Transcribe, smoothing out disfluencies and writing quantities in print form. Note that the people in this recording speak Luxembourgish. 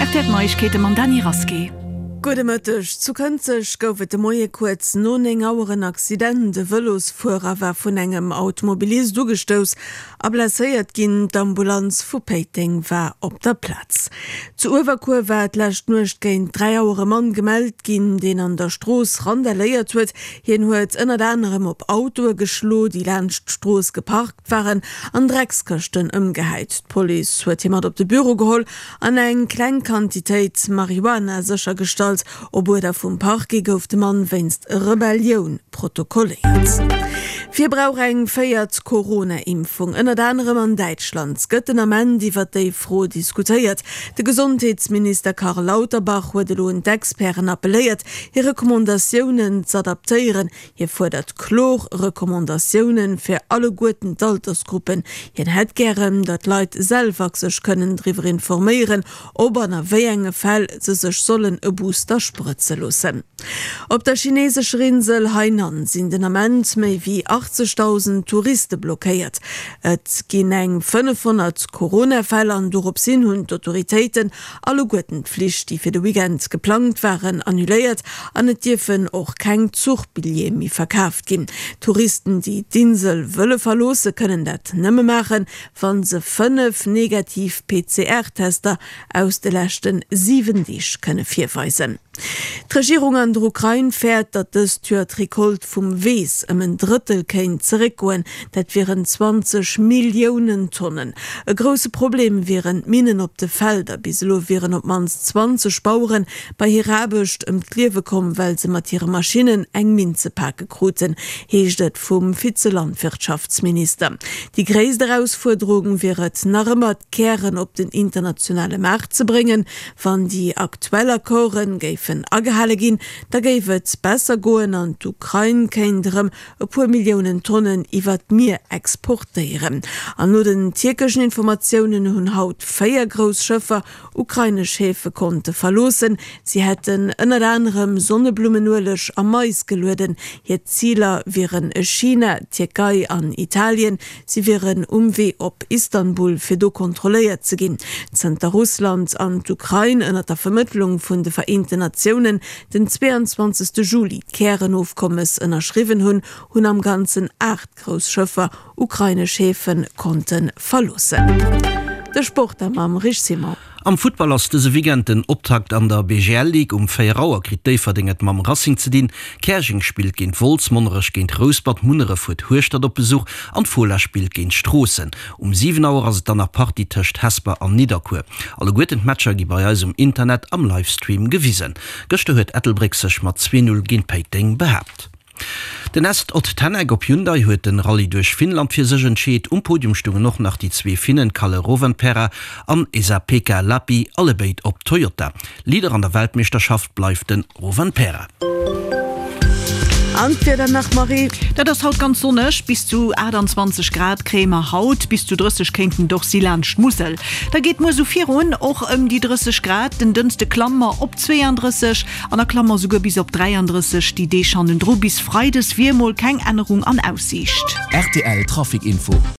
Rtl Neiegkeete mam Dany Rasqué. Gudde Mëtteg. Zu Kënzeg gouf et de Moie kuerz no 9 Auer en Accident. E Vëlosfuerer war vun engem Automobilist ugestouss a blesséiert ginn. D'Ambulanz vu Péiteng war op der Plaz. Zu Uewerkuer war d'lescht Nuecht géint 3 Auer e Mann gemellt ginn, deen an der Strooss randaléiert huet. Hien huet ënnert anerem op Autoe geschlo, déi laanscht d'Strooss geparkt waren an Dreckskëschten ëmgehäit. D'Police huet hie mat op de Büro geholl an eng kleng Quantitéit Marihuana séchergestallt. Op Uerder vum Parquet gouf de Mann wéinst Rebellioun protokolléiert. Wie brauch eng véiert Corona-Impfung? Ënnert anerem an Däitschland gëtt den Ament iwwer déi Fro diskutéiert. De Gesondheetsminister Karl Lauterbach huet elo un d'Experten appelléiert, hir Recommandatiounen z'adaptéieren. Hie fuerdert kloer Recommandatioune fir alleguerten d'Altersgruppen. Hien hätt gären, datt d'Leit selwer sech kënnen driwwer informéieren, ob an a wéi enge Fäll se sech sollen e Booster sprëtze loossen. Op der chinesescher Insel Hainan sinn den Ament méi wéi 80.000 Touriste blockéiert. Et ginn eng 500 Corona-Fäll an dorops hin hunn d'Autoritéiten Alleguerten d'Flich, déi fir de Weekend geplangt waren, annuléiert an et dierfen och keng Zuchbilljeeë méi verkaaft ginn. Touristen, déi d'Insel wëlle verloosse, kënnen dat nëmme maachen, wa se 5 negativ PCR-Tester aus de leschte 7 Deeg kënne virweisen. D'Regierung an der Ukrain fäert, datt dëst Joer d'Recolte vum Weess ëm en Drëttel kéint zeréckgoen. Dat wieren 20 Milliounen Tonnen. E grousse Problem wieren d'Minnen op de Felder. Bis elo wieren op d'mannst 20 Bauere bei hirer Aarbecht ëm d'Liewe komm, well se mat hire Maschinnen eng Minn ze pake kruten, heescht et vum Vize-Landwirtschaftsminister. Déi gréisst Erausfuerderung wier et nach ëmmer, d'Kären op den internationale Maart ze bréngen. Wann déi aktuell Accorden géifen agehale ginn, da géif et besser goen an d'Ukrain kéint erëm e puer Milliounen Tonnen iwwer d'Mier exportéieren. An no den tierkeschen Informatiounen hunn haut 4 grouss Schëffer ukrainesch Häfe konnte verloossen. Si hätten ënnert anerem Sonneblummenueleg a Mais gelueden. Hir Ziler wieren China, d'Tierkei an Italien. Si wieren um Wee op Istanbul, fir do kontrolléiert ze ginn. Zënter Russland an d'Ukrain ënner der Vermëttlung vun de Vereenten Natiounen den 22 Juli d'Kärenofkommes ënnerschriwwen hunn, hunn am Ganzen 8 grouss Schëffer ukrainesch Häfe konnte verloossen. De Sport da mam Rich Simon. Am Futtball ass dëse Weekend den Optakt an der BGL Ligue. Um 4 Auer kritt Déifferdeng et mam Racing ze dinn, Käerjeng spillt géint Wolz, Monnerech géint Rouspert, Munneref huet Hueschtert op Besuch an d'Fola spillt géint Stroossen. Um 7 Auer ass et dann nach Partie tëscht Hesper an Nidderkuer. Alleguerten d'Matcher gi bei eis um Internet am Livestream gewisen. Gëschter huet Ettelbréck sech mat 2, 0 géint Péiteng behaapt. Den Est Ott Tänak op Hyundai huet den Rallye duerch Finnland fir sech entscheet. Um Podium stungen och nach déi zwee Finnen Kalle Rovanperä an Esapekka Lappi, allebéid op Toyota. Leader an der Weltmeeschterschaft bleift den Rovanperä. An d'Wieder nach, Marie? Dat ass haut ganz sonneg, bis zu 28 Grad kréie mer haut, bis zu 30 kéinten et och si laanscht d'Musel. Da geet muer sou virun, och ëm déi 30 Grad. Den Dënschde klamme mer op 32 An da klamme mer souguer bis op 33 déi Deeg hannendru. Bis Freides wier mol keng Ännerung an Aussiicht. Rtl Trafic Info.